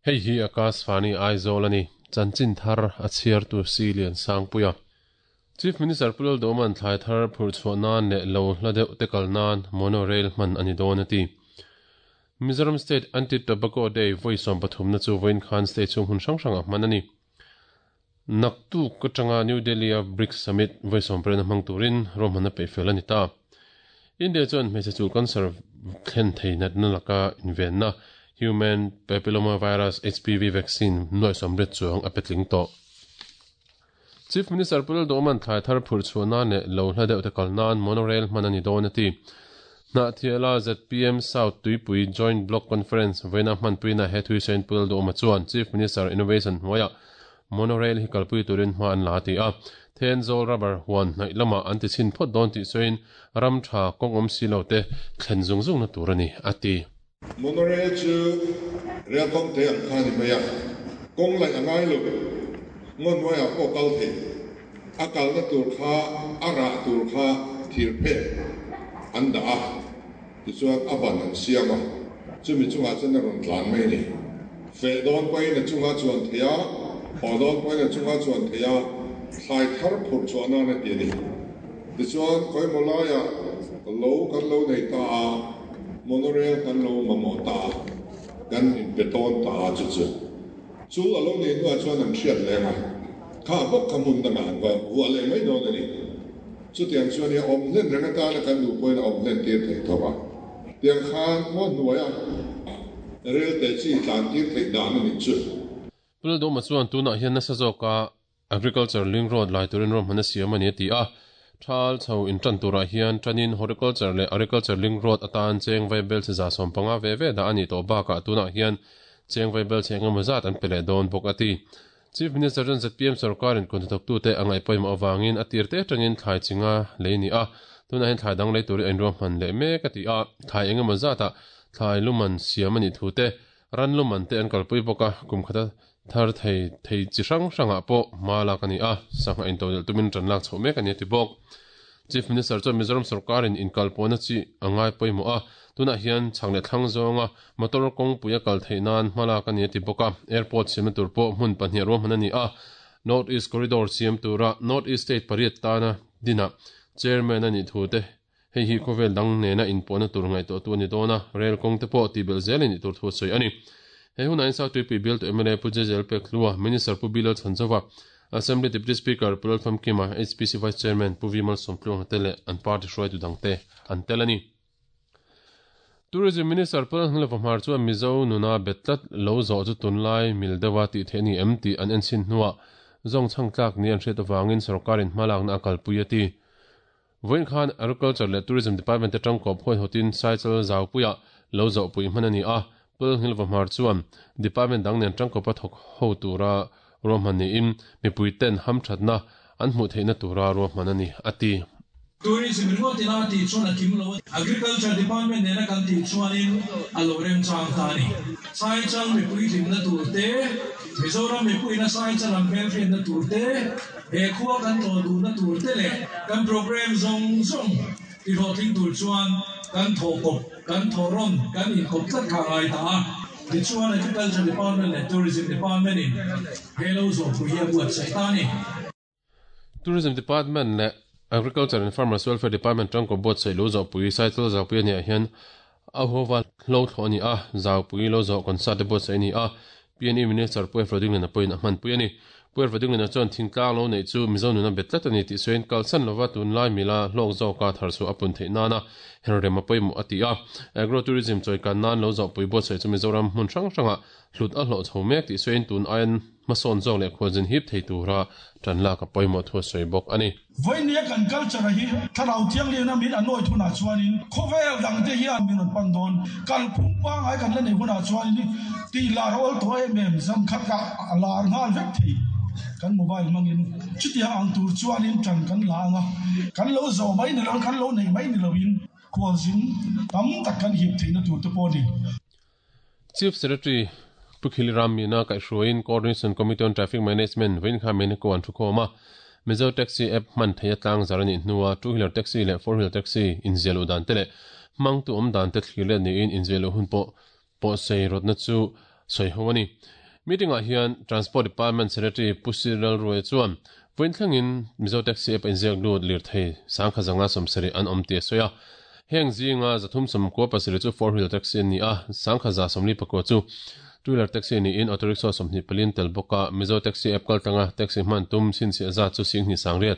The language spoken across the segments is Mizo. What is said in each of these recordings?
Hei hi Akashvani Aizawl a ni. Chanchin thar a chhiartu Si Lian Sangpuia. Chief Minister Pu Lalduhawma'n thlai thar phurh chhuah nan leh lo hla deuh te kal nan monorail hman a ni dawn a ti. Mizoram State Anti-Tobacco Day vawi sawmpathumna chu vawiin khan state chhung hmun hrang hrangah hman a ni. Naktuk atanga New Delhi-a BRICS Summit vawi sawmpariatna hmang turin ruahmanna peih fel a ni ta. India chuan hmeichhe chul cancer thlen thei natna laka invenna Human Papillomavirus, HPV, vaccine nuai sawmriat chuang a pe tling tawh. Chief Minister Pu Lalduhawma'n thlai thar phurh chhuah nan leh lo hla deuh te kal nan monorail hman a ni dawn a ti. Hnahthiala zpm South Tuipui Joint Block Conference vawiina hmanpuina he thuisawiin Pu Lalduhawma chuan Chief Minister Innovation hnuaiah monorail hi kalpui turin hma an la a ti a. Thenzawl rubber huan hnaih lamah an ti chhin phawt dawn tih sawiin ram tha kawng awm si lo te thlen zung zungna tur a ni a ti. Monorail chu rel kawng te ang kha a ni mai a, kawng laih a ngai lo, ngaw hnuaiah pawh kal thei. A kalna tur kha a rah tur kha thir phek an dah a, tichuan a ban an siam a, chumi chungah chuan a rawn tlan mai a ni. Feh dawn pawhin a chunga chuan thei a, haw dawn pawhin a chunga chuan thei a, thlai thar phurh chhuah nan a ti a ni. Tichuan khawimaw laiah lo kan lo nei ta a. Monorail kan lo mamawh ta a, kan inpe tawn ta a chu chu. Chu a lo nih hnuah chuan an hriat leng a, kha bawk kha hmun dangah an va vuah leh mai dawn a ni. Chutiang chuan i awm hlen reng atana kan duh pawhin a awm hlen tir theih tho a. Tiang khan ngaw hnuaia rel te chi tlan tir theih dan a nih chu. Pu Lalduhma chuan tunah hian nasa zawka Agriculture link road lai turin ruahman a siam a ni a ti a. Thal chho intan turah hian tanin Horticulture leh Agriculture link road atan cheng vai bel chhe 150 ve ve dah a nih tawh bakah tunah hian cheng vai bel chhe engemaw zat an pe leh dawn bawk a ti. Chief Minister chuan zpm sorkarin kut hnathawktute a ngaih pawimawh avangin a tir te atangin thlai chinga lei a ni a, tunah hian thlai dang lei turin a inruahman leh mek a ti a. Thlai engemaw zatah thlai luman siam a nih thu te Ran luman te an kalpui bawk a, kum khata thar thei thei chi hrang hrangah pawh hma lak a ni a, sangha intodelh tumin ran lak chhoh mek a ni a ti bawk. Chief Minister chuan Mizoram sorkarin inkalpawhna chi a ngai pawimawh a, tunah hian chhak leh thlang zawnga motor kawngpui a kal theih nan hma lak a ni a ti bawk a, airport siamna tur pawh hmun pahnih ruahman a ni a, North East Corridor siam tura North East State pariat tana dinah Chairman a nih thu te Hei hi khawvel dang nena inpawhna tur ngaihtuahtu a ni dawn a, rel kawng te pawh tihbelh zel a nih tur thu a sawi a ni. He hunah hian South Tuipui bialtu mla Pu Jezel Pekhlua, Minister Pu Bilal Chhanzova, Assembly Deputy Speaker Pu Lalfamkima, HPC Vice Chairman Pu V Malsawmtluanga te leh an party hruaitu dangte an tel a ni. Tourism Minister Pu Lalhnilova Hmar chuan Mizo nuna bet tlat lo zawh chu tunlai mil deuha tih theih a ni em tih an enchhin hnuah zawng chhang tlak ni an hriat avangin sawrkarin hmalakna a kalpui a ti. Vawiin khan Agriculture leh Tourism Department te tangkawp huaihawtin Saichal Zaupuiah lo zawhpui hman a ni a, Pul Nghilvahmar chuan Department dang nen tangkawpa thawk ho tura ruahman niin mipui ten hamthatna an hmuh theihna tura ruahman a ni, a ti. Tourism ringawt ina tih chuan a kim lo a, Agriculture Department nena kan tih chuanin a lo remchang ta a ni. Saichal mipui hlimna tur te, Mizoram mipuiina Saichal an hmelhriatna tur te, He khua kan tlawh duhna tur te leh kan programme zawng zawng ti hlawhtling tur chuan kan thawhkawp, kan thawhrawn, kan inkawp tlat kha a ngai ta a. Tichuan Agriculture Department leh Tourism Department in he lo zawhpui hi a buatsaih ta a ni. Tourism Department leh Agriculture and Farmers Welfare Department tangkaw buatsaih lo zawhpui Saichal Zaupui a nih ah hian a huava hlo thlawh a ni a, Zaupui lo zawh concert te buatsaih a ni a, PNE Minister Pu Efra Dinglena pawhin a hmanpui a ni. Pu Efra Dinglena chuan thingtlang lo neih chu Mizo nuna bet tlat a ni tih sawiin kalsan lova tunlai mila hlawk zawka thar chhuah a pun theih nana herrem a pawimawh a ti a. Agro Tourism chawikan nan lo zawhpui buatsaih chu Mizoram hmun hrang hrangah hlut a hlawh chho mek tih sawiin tun aiin hmasawn zawk leh khualzin hip thei tura tan lak a pawimawh thu a sawi bawk a ni. Vawinia kan culture hi Thlarau Thianghlimna min a nawi hunah chuanin khawvel dangte hian min rawn pan dawn. Kalphung pangngai kan la neih hunah chuanin tih lar a awl tawh em em, zan khat kah a lar nghal vek thei kan mobile hmangin. Chutiang ang tur chuanin tan kan la ang a, kan lo zawh mai ni loin, kan lo neih mai ni loin khualzin tam tak kan hip theihna tur te pawh a ni. Chief Secretary Pu Khili Ram Meena kaihhruaiin Coordination Committee on Traffic Management vawiin kha Meneko an thukhawm a, Mizo Taxi app hman theih a tlang zar a nih hnua two wheeler taxi leh four wheeler taxi inziah luh dan te leh hmangtu awm dan te thlir let niin inziah luh hun pawh pawhsei rawtna chu sawi ho a ni. Meeting-ah hian Transport Department Secretary Pu Cyril Ruai chuan vawiin thlengin Mizo Taxi App a inziak lut lirthei 10,170 an awm tih a sawi a. Heng zinga 397 chu four wheeler taxi an ni a, 1149 chu two wheeler taxi niin auto rickshaw 24 an tel bawk a. Mizo Taxi App kaltlanga taxi hman tum chhinchhiah zat chu 28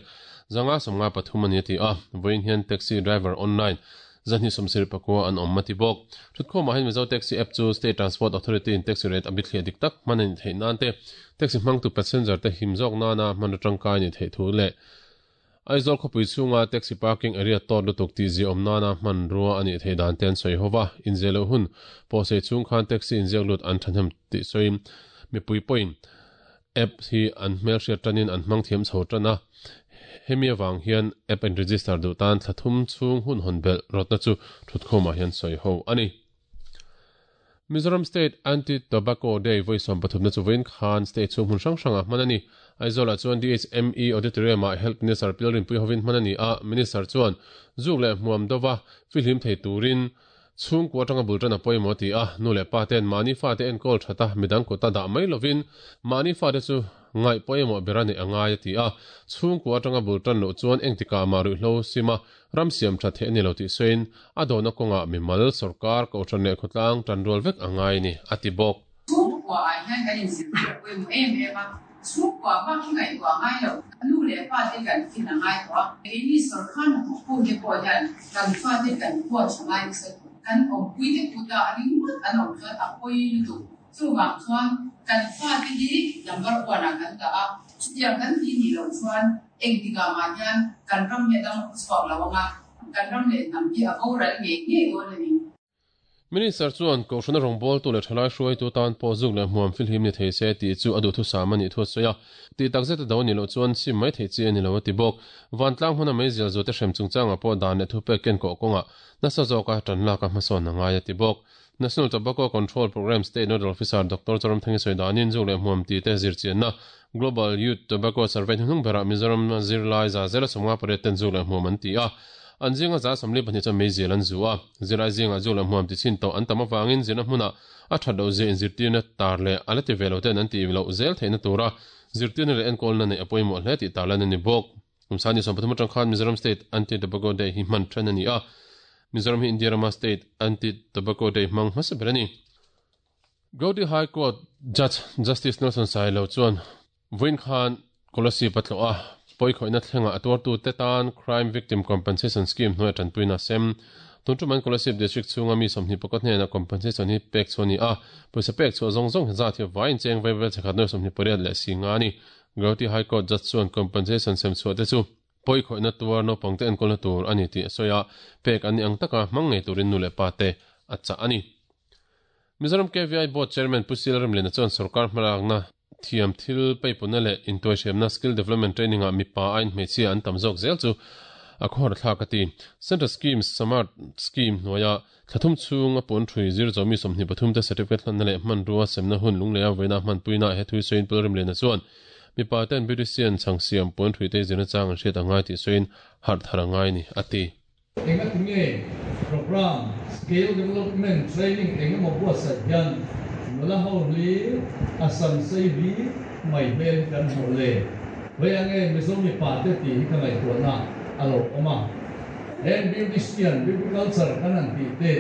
553 a ni a ti a, vawiin hian taxi driver online 274 an awm a ti bawk. Thutkhawmah hian Mizo Taxi App chu State Transport Authority in taxi rate a bithliah dik tak hman a nih theih nan te, taxi hmangtu passenger te him zawk nana hmanraw tangkai a nih theih thu leh Aizawl khawpui chhunga taxi parking area tawt lutuk tih ziaawm nana hmanrua a nih theih dan te an sawi ho va, inziah loh hun pawhsei chhung khan taxi inziak lut an thahnem tih sawiin mipui pawhin App hi an hmelhriat tanin an hmang thiam chho tan a, hemi avang hian app in register duh tan thla thum chhung hun hawn belh rawtna chu thutkhawmah hian sawi ho a ni. Mizoram State Anti-Tobacco Day vawi 13na chu vawiin khan state chhung hmun hrang hrangah hman a ni. Aizawlah chuan DHME Auditorium-ah Health Minister Pilrinpui hovin hman a ni a, Minister chuan zuk leh hmuam dova fihlim thei turin Chhungkua atanga bul tan a pawimawh ti a, nu leh pa ten mahni fate enkawl that a, midang kut a dah mai lovin mahni fate chu ngaih pawimawh ber a neih a ngai a ti a. Chhungkua atanga bul tan loh chuan engtikah mah ruihhlo sim a, ram siam that theih a ni lo tih sawiin a dawhna kawngah mimal, sawrkar, kohhran leh khawtlang tanrual vek a ngai a ni, a ti bawk. Chhungkua ah hian kan inzirtir a pawimawh em em a, chhungkua bak hi ngaihtuah a ngai lo, nu leh pa te kan fin a ngai tawh a, keini sawrkar hnathawk pu te pawh hian kan fa te kan huat tha ngai nasa tawh, kan awmpui te kut ah ringawt an awm chuan a pawi lutuk, chuvang chuan kan fa te hi number one ah kan dah a, chutiang kan ti nih loh chuan engtikah mah hian kan ram hi a dang chhuak lo ang a, kan ram leh hnam hi a boral ngei ngei dawn a ni. Minister chuan Kohhrana rawngbawltu leh thalai hruaitu tan pawh zuk leh hmuam filhim ni thei se tih chu a duhthusam a nih thu a sawi a. Tih takzet a do a nih loh chuan sim mai theih chi a ni lo a ti bawk. Vantlang hmuna meizial zute hrem chungchangah pawh dan leh thupek ken kawh kawngah nasa zawka tan lak a hmasawn a ngai a ti bawk. National Tobacco Control Programme State Nodal Officer Doctor Zoramthangi sawi danin zuk leh hmuam tite zirchianna Global Youth Tobacco Survey hnuhnung berah Mizoram zirlai 158 ten zuk leh hmuam an ti a. An zinga 42 chuan meizial an zu a, zirlai zingah zu leh hmuam ti chhin tawh an tam avangin zirna hmunah a that loh zia inzirtirna tar leh a la ti ve lo ten an tih loh zel theihna tura zirtirna leh enkawlna neih a pawimawh hle tih tarlan a ni bawk. Kum sani 13 atang khan Mizoram State Anti-Tobacco Day hi hman then a ni a, Mizoram hi India rama State Anti-Tobacco Day hmang hmasa ber a ni. Guwahati High Court Judge Justice Nelson Sailo chuan Vawiin khan Kolasib a tlawh a, pawikhawihna thlengah a tuartute tan Crime Victim Compensation Scheme hnuaia tanpuina a sem. Tun ṭumain Kolasib District chhunga mi 21 hnenah compensation hi pek chhuah a ni a, pawisa pek chhuah zawng zawng hi zat hi vaiin cheng vaivel chhe khat nuai 28 leh si nga a ni. Guwahati High Court Judge chuan compensation sem chhuah te chu pawikhawihna tuar naupangte enkawlna tur a ni tih a sawi a, pek an ni ang taka hmang ngei turin nu leh pa te a chah a ni. Mizoram KVI Board Chairman Pu Sil Remliana chuan sorkar hmalakna thiam thil peipunna leh intuaihriamna skill development training ah mipa aiin hmeichhia an tam zawk zel chu a khawhar thlak a ti. Central Scheme Samart Scheme hnuaia thla thum chhung a puan ṭhui zir zawmi 23 te certificate hlanna leh hmanrua semna hun lungleia vawiina hmanpuina he thui sawiin Pu Remliana chuan mipa ten beautician chhang siam puan ṭhui te zirna chang an hriat a ngai tih sawiin harh thar a ngai ni a ti. Engati nge Programme, Skill Development Training engemaw buatsaih hian nula ho hlir a sam sei hlir mai hmel hi kan hmuh le? Vawiah nge Mizo mipa te tih hi ka ngaihtuahna a lo awm a. Heng beautician, beauty culture kan han tih te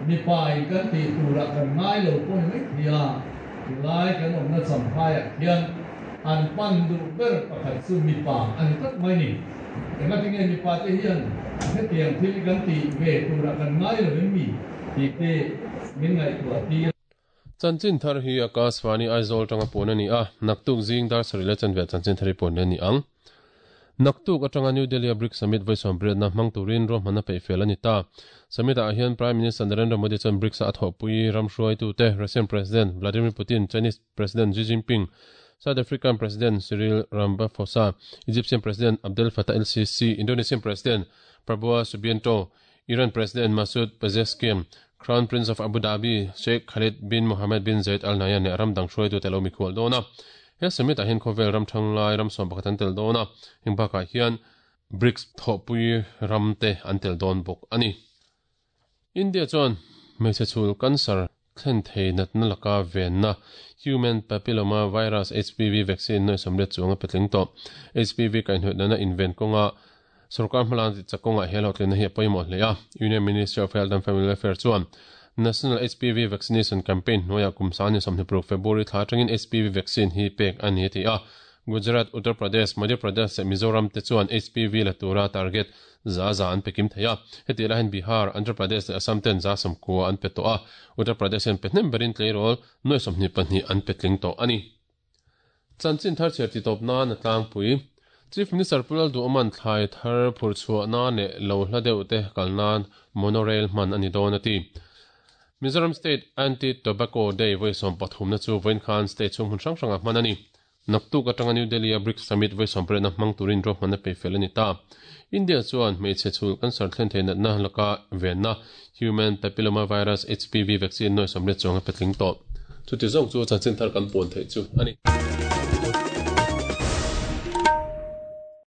mipa in kan tih turah kan ngai lo pawh ni mai thei a, tulai kan awmna champhaiah khian an pan duh ber pakhat chu mipa a ni tlat mai ni. Engati nge mipa te hian hetiang thil hi kan tih ve turah kan ngai lo em mi tih te min ngaihtuah tir. Chanchin thar hi Akashvani Aizawl tanga puan a ni a, naktuk zing dar sarih leh chanve chanchin thar hi puan leh a ni ang. Naktuk atanga New Delhi-a BRICS Summit vawi sawmriatna hmang turin ruahmanna peih fel a ni ta. Summit-ah hian Prime Minister Narendra Modi chuan BRICS-a a thawhpui ram hruaitute Russian President Vladimir Putin, Chinese President Xi Jinping, South African President Cyril Ramaphosa, Egyptian President Abdel Fattah el-Sisi, Indonesian President Prabowo Subianto, Iran President Masoud Pezeshkian, Crown Prince of Abu Dhabi Sheikh Khalid bin Mohammed bin Zayed Al Nahyan leh ram dang hruaitute lo mikhual dawn a. He summit-ah hian khawvel ram thanglai ram sawm pakhat an tel dawn a, heng bakah hian BRICS thawhpui ramte an tel dawn bawk a ni. India chuan hmeichhe chhul cancer. thlen thei natna laka venna Human Papilloma Virus, HPV, vaccine nuai sawmriat chuang a pe tling tawh. HPV kaihhnawih nana inven kawnga sorkar hmalan ti chak kawngah he hlawhtlinna hi a pawimawh hle a. Union Ministry of Health and Family Welfare chuan National HPV Vaccination Campaign hnuaiah kum sangni 26 February thla atangin HPV vaccine hi pek a ni a ti a. Gujarat, Uttar Pradesh, Madhya Pradesh leh Mizoram te chuan HPV la tura target za za an pe kim thei a. Heti lahin Bihar, Andhra Pradesh leh Assam ten za 90 an pe tawh a. Uttar Pradesh hian pe hnem berin tleirawl nuai 22 an pe tling tawh a ni. Chanchin thar chhiar titawp nan a tlangpui. Chief Minister Pu Lalduhawma'n thlai thar phurh chhuah nan leh lo hla deuh te kal nan monorail hman a ni dawn a ti. Mizoram State Anti-Tobacco Day vawi 13 na chu vawiin khan state chhung hmun hrang hrangah hman a ni. Naktuk atanga New Delhi-a BRICS Summit vawi 18 na hmang turin ruahmanna peih fel a ni ta. India chuan hmeichhe chhul cancer thlen thei natna laka venna Human Papilloma Virus, HPV, vaccine nuai 80 chuang a pe tling tawh. Chuti zawng chu chanchin thar kan puan theih chu a ni.